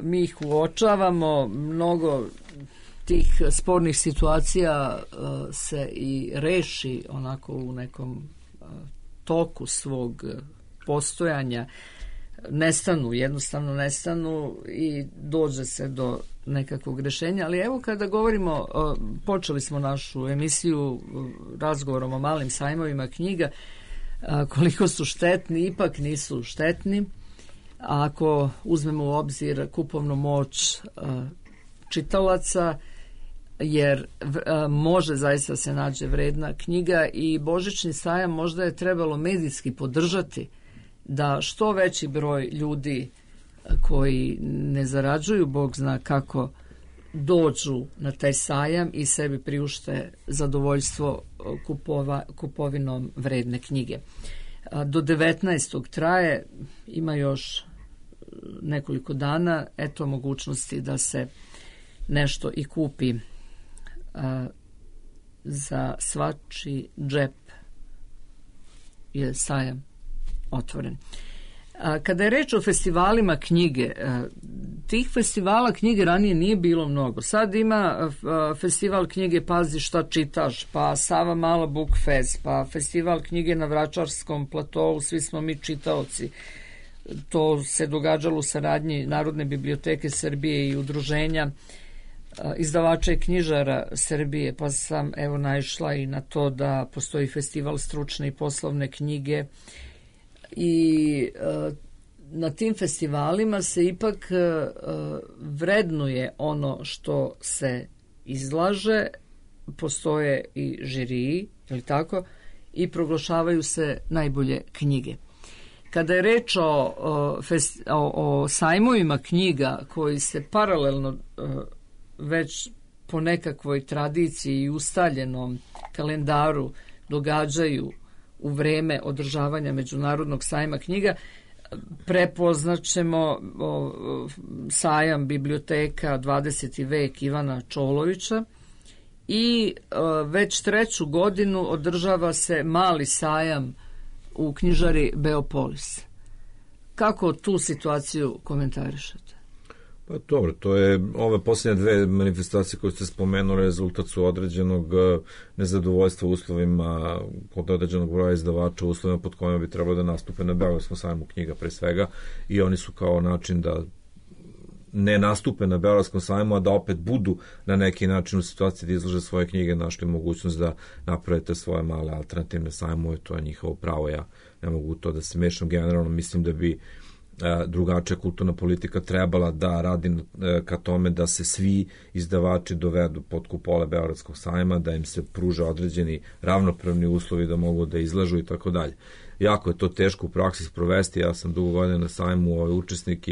mi ih uočavamo, mnogo tih spornih situacija se i reši onako u nekom toku svog postojanja, jednostavno nestanu i dođe se do nekakvog rešenja, ali evo kada govorimo, počeli smo našu emisiju razgovorom o malim sajmovima knjiga, koliko su štetni, ipak nisu štetni, ako uzmemo u obzir kupovnu moć čitalaca, jer može zaista se nađe vredna knjiga i Božićni sajam možda je trebalo medijski podržati da što veći broj ljudi koji ne zarađuju, Bog zna kako, dođu na taj sajam i sebi priušte zadovoljstvo kupovinom vredne knjige. Do 19. traje, ima još nekoliko dana, eto mogućnosti da se nešto i kupi za svačiji džep je sajam otvoren. Kada je reč o festivalima knjige, tih festivala knjige ranije nije bilo mnogo. Sad ima festival knjige Pazi šta čitaš, pa Sava Mala Book Fest, pa festival knjige na Vračarskom platovu, svi smo mi čitaoci. To se događalo u saradnji Narodne biblioteke Srbije i udruženja izdavača i knjižara Srbije, pa sam evo naišla i na to da postoji festival stručne i poslovne knjige i na tim festivalima se ipak vrednuje ono što se izlaže, postoje i žiriji, ili tako, i proglašavaju se najbolje knjige. Kada je reč o sajmovima knjiga koji se paralelno već po nekakvoj tradiciji i ustaljenom kalendaru događaju u vreme održavanja Međunarodnog sajma knjiga, prepoznaćemo sajam biblioteka 20. vek Ivana Čolovića i već 3. godinu održava se mali sajam u knjižari Beopolis. Kako tu situaciju komentarišete? Pa dobro, to je ove posljednje dve manifestacije koje ste spomenuli, rezultat su određenog nezadovoljstva uslovima kod određenog broja izdavača, uslovima pod kojima bi trebalo da nastupe na Beogradskom sajmu knjiga pre svega, i oni su kao način da ne nastupe na Beogradskom sajmu, a da opet budu na neki način u situaciji da izlože svoje knjige, našli mogućnost da napravite svoje male alternativne sajmove, to je njihovo pravo, ja ne mogu to da se mešam. Generalno mislim da bi drugačija kulturna politika trebala da radi ka tome da se svi izdavači dovedu pod kupole Beogradskog sajma, da im se pruža određeni ravnopravni uslovi da mogu da izlažu i tako dalje. Jako je to teško u praksi sprovesti, ja sam dugo godina na sajmu učesnik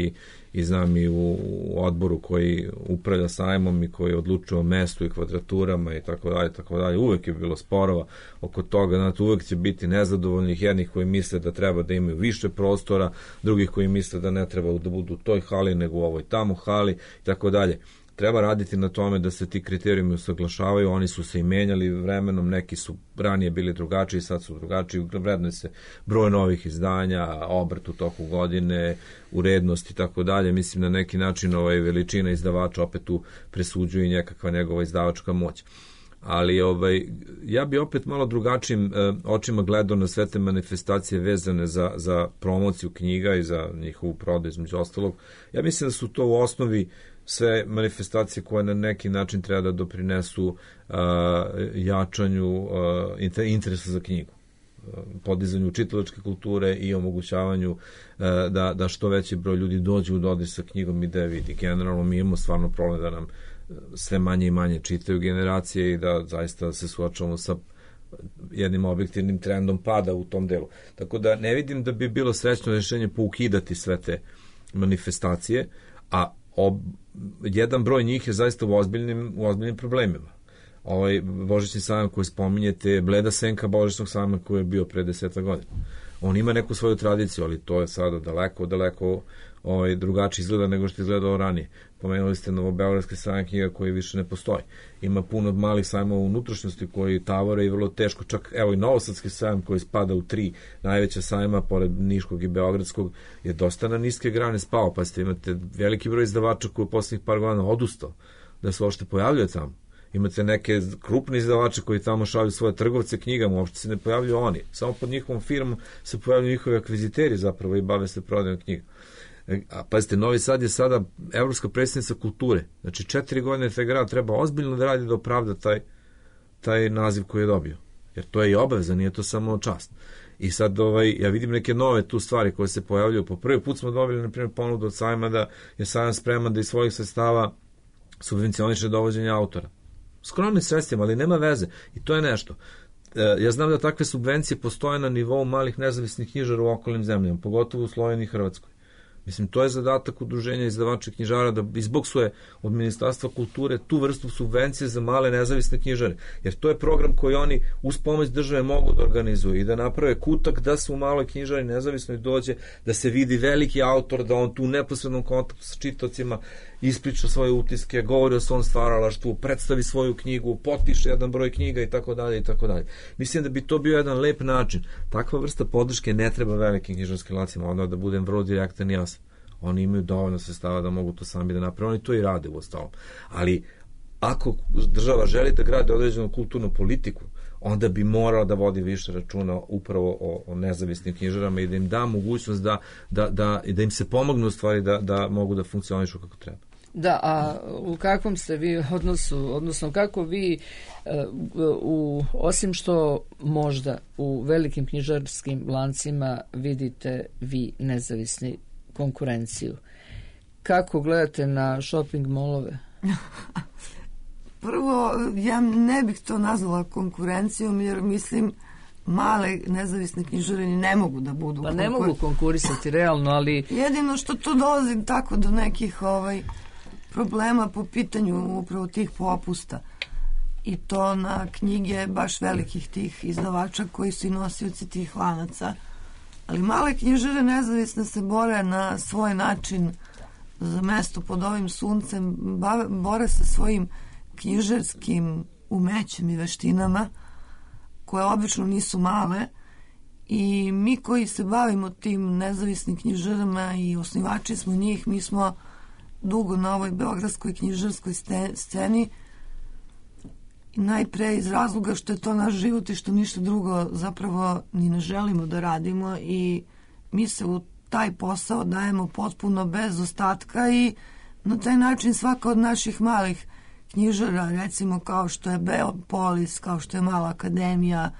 i znam i u odboru koji upravlja sajmom i koji odlučuje o mestu i kvadraturama i tako dalje, uvek je bilo sporova oko toga, znate, uvek će biti nezadovoljnih, jednih koji misle da treba da imaju više prostora, drugih koji misle da ne treba da budu u toj hali nego u ovoj tamo hali i tako dalje. Treba raditi na tome da se ti kriterijumi usaglašavaju, oni su se i menjali vremenom, neki su ranije bili drugačiji, sad su drugačiji, vrednuje se broj novih izdanja, obrt u toku godine, urednost i tako dalje. Mislim na neki način veličina izdavača opet tu presuđuje i nekakva njegova izdavačka moć. Ali ja bi opet malo drugačijim očima gledao na sve te manifestacije vezane za promociju knjiga i za njihovu prodaju između ostalog. Ja mislim da su to u osnovi sve manifestacije koje na neki način treba da doprinesu jačanju interesa za knjigu, podizanju čitalačke kulture i omogućavanju da što veći broj ljudi dođe u dodir sa knjigom i da je vidi. Generalno mi imamo stvarno problem da nam sve manje i manje čitaju generacije i da zaista se suočavamo sa jednim objektivnim trendom pada u tom delu. Tako da ne vidim da bi bilo srećno rješenje poukidati sve te manifestacije, a jedan broj njih je zaista u ozbiljnim problemima. Božićni sajam koji spominjete, bleda senka Božićnog sajma koji je bio pre 10 godina. On ima neku svoju tradiciju, ali to je sada daleko drugačije izgleda nego što je izgledalo ranije. Pomenuli ste Novobeogradski sajam knjiga koji više ne postoji. Ima puno malih sajmova unutrašnjosti koji tavore i vrlo teško. Čak evo i Novosadski sajam koji spada u 3 najveća sajma pored Niškog i Beogradskog je dosta na niske grane spao. Pa ste imate veliki broj izdavača koji u posljednjih par godina odustao da se uopšte pojavljuje tamo. Imate neke krupne izdavače koji tamo šalju svoje trgovce knjigama, uopšte se ne pojavljuju oni. Samo pod njihovom firmom se pojavljuju njihovi akviziteri zapravo i bave se prodajom knjiga. A pazite, Novi Sad je sada evropska predstavnica kulture. Znači 4 godine taj grad treba ozbiljno da radi da opravda taj naziv koji je dobio. Jer to je i obaveza, nije to samo čast. I sad ja vidim neke nove tu stvari koje se pojavljuju. Po prvi put smo dobili, na primjer, ponudu od sajma da je sajam spreman da iz svojih sredstava subvencioniše dovođenje autora. Skromnim sredstvima, ali nema veze. I to je nešto. Ja znam da takve subvencije postoje na nivou malih nezavisnih knjižara u okolnim zemljama, pogotovo u Sloveniji i Hrvatskoj. Mislim, to je zadatak udruženja izdavača knjižara da izboksuje od Ministarstva kulture tu vrstu subvencije za male nezavisne knjižare. Jer to je program koji oni uz pomoć države mogu da organizuju i da naprave kutak da se u maloj knjižari nezavisnoj dođe, da se vidi veliki autor, da on tu u neposrednom kontaktu sa čitocima ispriča svoje utiske, govori o svom stvaralaštvu, predstavi svoju knjigu, potpiše jedan broj knjiga i tako dalje i tako dalje. Mislim da bi to bio jedan lep način. Takva vrsta podrške ne treba velikim knjižarskim lacima, onda da budem vrlo direktan i jasan. Oni imaju dovoljno sredstava da mogu to sami da naprave, oni to i rade u ostalom. Ali ako država želi da gradi određenu kulturnu politiku, onda bi morala da vodi više računa upravo o nezavisnim knjižarama i da im da mogućnost da im se pomogne u stvari da mogu da funkcionišu kako treba. Da, a u kakvom ste vi odnosu, odnosno kako vi osim što možda u velikim knjižarskim lancima vidite vi nezavisni konkurenciju, kako gledate na shopping molove? Prvo, ja ne bih to nazvala konkurencijom, jer mislim male nezavisne knjižare ne mogu da budu. Pa ne mogu konkurisati realno, ali jedino što to dolazi tako do nekih problema po pitanju upravo tih popusta. I to na knjige baš velikih tih izdavača koji su i nosioci tih lanaca. Ali male knjižare nezavisne se bore na svoj način za mesto pod ovim suncem, bore sa svojim knjižarskim umećem i veštinama, koje obično nisu male, i mi koji se bavimo tim nezavisnim knjižarama i osnivači smo njih, mi smo dugo na ovoj beogradskoj knjižarskoj sceni, najpre iz razloga što je to naš život i što ništa drugo zapravo ni ne želimo da radimo, i mi se u taj posao dajemo potpuno bez ostatka i na taj način svaka od naših malih knjižara, recimo kao što je Beopolis, kao što je Mala akademija,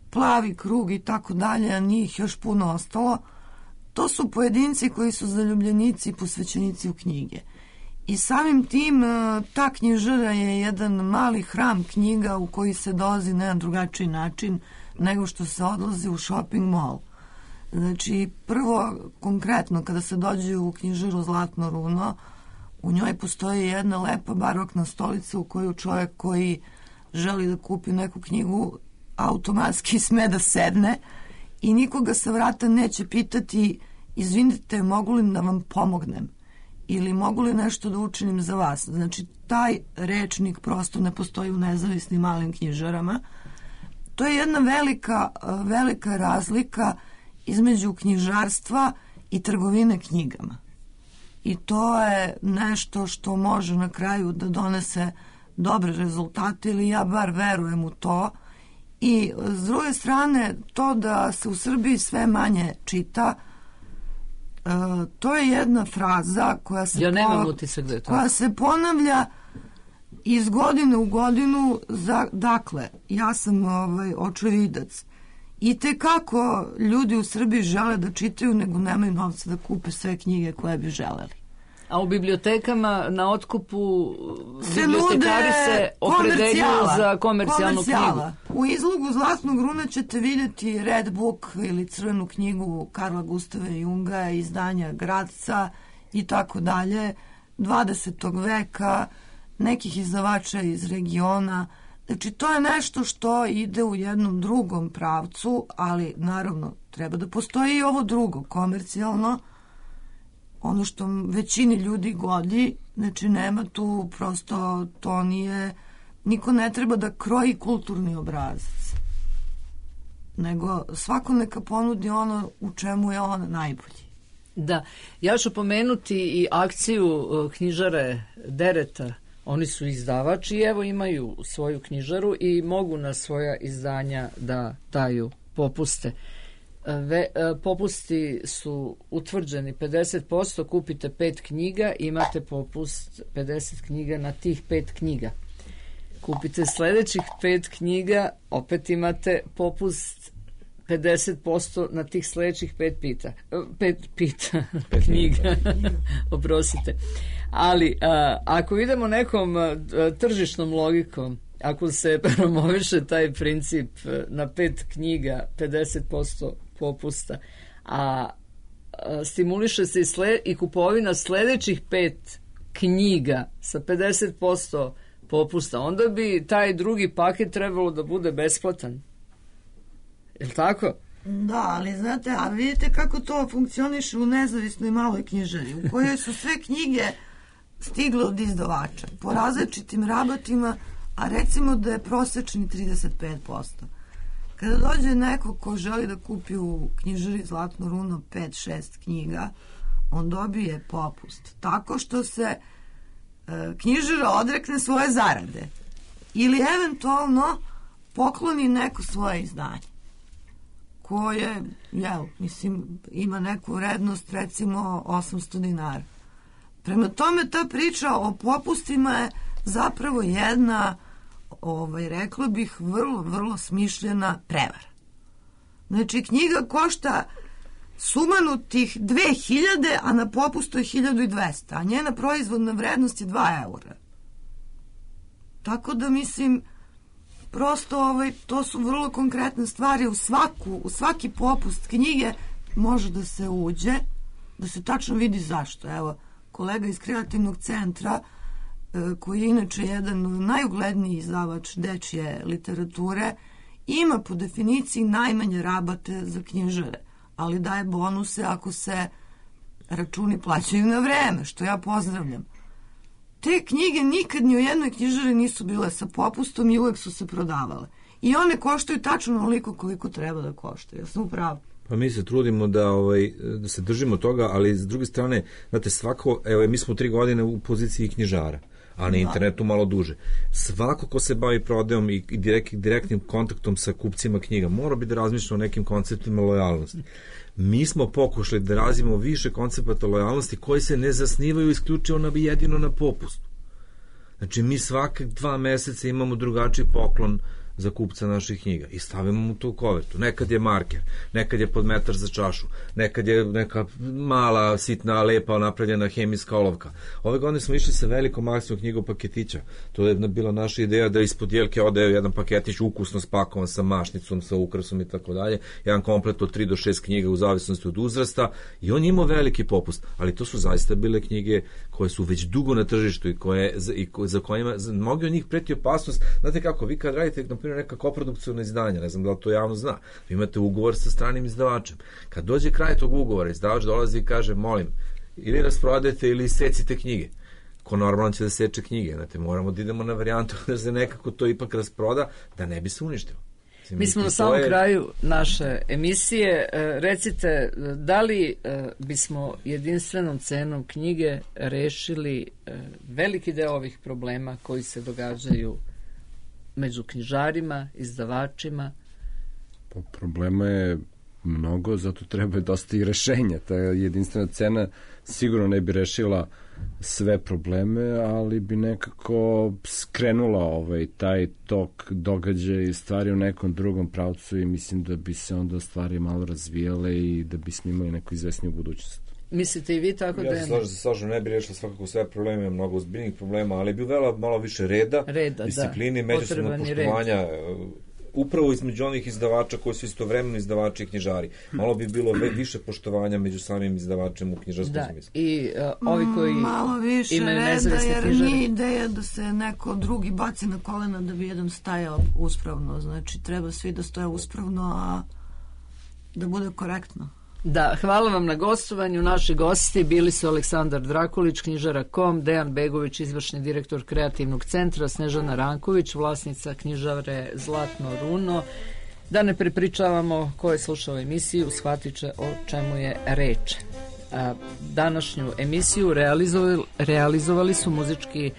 Plavi krug i tako dalje, a njih još puno ostalo, to su pojedinci koji su zaljubljenici i posvećenici u knjige. I samim tim ta knjižara je jedan mali hram knjiga u koji se dolazi na jedan drugačiji način nego što se odlazi u shopping mall. Znači, prvo, konkretno, kada se dođe u knjižaru Zlatno runo, u njoj postoji jedna lepa barokna stolica u koju čovjek koji želi da kupi neku knjigu automatski sme da sedne i nikoga sa vrata neće pitati: izvinite, mogu li da vam pomognem ili mogu li nešto da učinim za vas. Znači, taj rečnik prosto ne postoji u nezavisnim malim knjižarama. To je jedna velika razlika između knjižarstva i trgovine knjigama. I to je nešto što može na kraju da donese dobre rezultate, ili ja bar verujem u to. I s druge strane, to da se u Srbiji sve manje čita, to je jedna fraza koja se, koja se ponavlja iz godine u godinu. Dakle, ja sam očevidac. I tekako ljudi u Srbiji žele da čitaju, nego nemaju novca da kupe sve knjige koje bi želeli. A u bibliotekama na otkupu bibliotekari se opredeljuju za komercijalnu knjigu. U izlogu Zlatnog runa ćete vidjeti Red Book ili Crvenu knjigu Karla Gustava Junga, izdanja Gradca i tako dalje, 20. veka, nekih izdavača iz regiona. Znači, to je nešto što ide u jednom drugom pravcu, ali naravno treba da postoji i ovo drugo, komercijalno. ono što većini ljudi godi, znači nema tu prosto, to nije, niko ne treba da kroji kulturni obrazac, nego svako neka ponudi ono u čemu je on najbolji. Da, ja ću pomenuti i akciju knjižare Dereta. Oni su izdavači i evo imaju svoju knjižaru i mogu na svoja izdanja da daju popuste. Popusti su utvrđeni 50%, kupite 5 knjiga, imate popust 50 knjiga na tih 5 knjiga. Kupite sledećih 5 knjiga, opet imate popust 50% na tih sledećih 5 knjiga. Oprostite. Ali ako idemo nekom tržišnom logikom, ako se promoviše taj princip na 5 knjiga 50% popusta, a stimuliše se i kupovina sledećih 5 knjiga sa 50% popusta, onda bi taj drugi paket trebalo da bude besplatan. Je li tako? Da, ali znate, a vidite kako to funkcioniše u nezavisnoj maloj knjižari, u kojoj su sve knjige stigle od izdavača, po različitim rabatima, a recimo da je prosečni 35%. Kada dođe neko ko želi da kupi u knjižari Zlatno runo 5-6 knjiga, on dobije popust. Tako što se knjižara odrekne svoje zarade. Ili eventualno pokloni neko svoje izdanje, koje, mislim, ima neku vrednost, recimo 800 dinara. Prema tome, ta priča o popustima je zapravo jedna, rekla bih, vrlo, vrlo smišljena prevara. Znači, knjiga košta sumanutih 2000, a na popustu je 1200, a njena proizvodna vrednost je 2 eura. Tako da, mislim, prosto to su vrlo konkretne stvari. U svaki popust knjige može da se uđe, da se tačno vidi zašto. Evo, kolega iz Kreativnog centra, koji je inače jedan najugledniji izdavač dečje literature, ima po definiciji najmanje rabate za knjižare, ali daje bonuse ako se računi plaćaju na vreme, što ja pozdravljam. Te knjige nikad ni u jednoj knjižari nisu bile sa popustom i uvek su se prodavale. I one koštaju tačno onoliko koliko treba da koštaju. Ja sam upravo. Pa mi se trudimo da se držimo toga, ali s druge strane, znate, svako, evo, mi smo 3 godine u poziciji knjižara, a na internetu malo duže. Svako ko se bavi prodajom i direktnim kontaktom sa kupcima knjiga mora bi da razmišlja o nekim konceptima lojalnosti. Mi smo pokušali da razvijemo više koncepata lojalnosti koji se ne zasnivaju isključivo jedino na popustu. Znači, mi svake 2 meseca imamo drugačiji poklon za kupca naših knjiga i stavimo mu to u kovertu. Nekad je marker, nekad je podmetar za čašu, nekad je neka mala, sitna, lepa, napravljena hemijska olovka. Ove godine smo išli sa velikom akcijom knjigom paketića. To je bila naša ideja da ispod jelke ode jedan paketić ukusno spakovan sa mašnicom, sa ukrasom i tako dalje. Jedan komplet od 3 do 6 knjiga u zavisnosti od uzrasta i on imao veliki popust, ali to su zaista bile knjige koje su već dugo na tržištu i za kojima mnogi od njih preti opasnost. Znate kako, vi kad radite neka koprodukcijna izdanja, ne znam da li to javno zna, vi imate ugovor sa stranim izdavačem. Kad dođe kraj tog ugovora, izdavač dolazi i kaže, molim, ili rasprodajte ili secite knjige. Ko normalno će da seče knjige, znate, moramo da idemo na varijantu da se nekako to ipak rasproda, da ne bi se uništilo. Mi smo na samom kraju naše emisije. Recite, da li bismo jedinstvenom cenom knjige rešili veliki deo ovih problema koji se događaju među knjižarima, izdavačima? Pa problema je mnogo, zato treba dosta i rešenja. Ta jedinstvena cena sigurno ne bi rešila sve probleme, ali bi nekako skrenula taj tok događaja i stvari u nekom drugom pravcu i mislim da bi se onda stvari malo razvijale i da bismo imali neku izvesniju budućnost. Mislite i vi tako da je? Ja se slažem, ne bi rešila svakako sve probleme, mnogo ozbiljnih problema, ali bi uvela malo više reda disciplini, međusobnog poštovanja, upravo između onih izdavača koji su istovremeno izdavači i knjižari. Malo bi bilo više poštovanja među samim izdavačem u knjižarskom smislu. I ovi koji imaju nezavisne knjižare. Jer nije ideja da se neko drugi baci na kolena da bi jedan stajao uspravno. Znači, treba svi da stoje uspravno, a da bude korektno. Da, hvala vam na gostovanju. Naši gosti bili su Aleksandar Drakulić, knjižara.com, Dejan Begović, izvršni direktor kreativnog centra, Snežana Ranković, vlasnica knjižare Zlatno runo. Da ne prepričavamo ko je slušao emisiju, shvatit će o čemu je reč. Današnju emisiju realizovali su muzički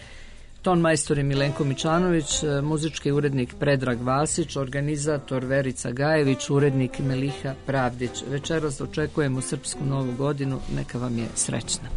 ton majstori Milenko Mičanović, muzički urednik Predrag Vasić, organizator Verica Gajević, urednik Meliha Pravdić. Večeras očekujemo srpsku novu godinu, neka vam je srećna.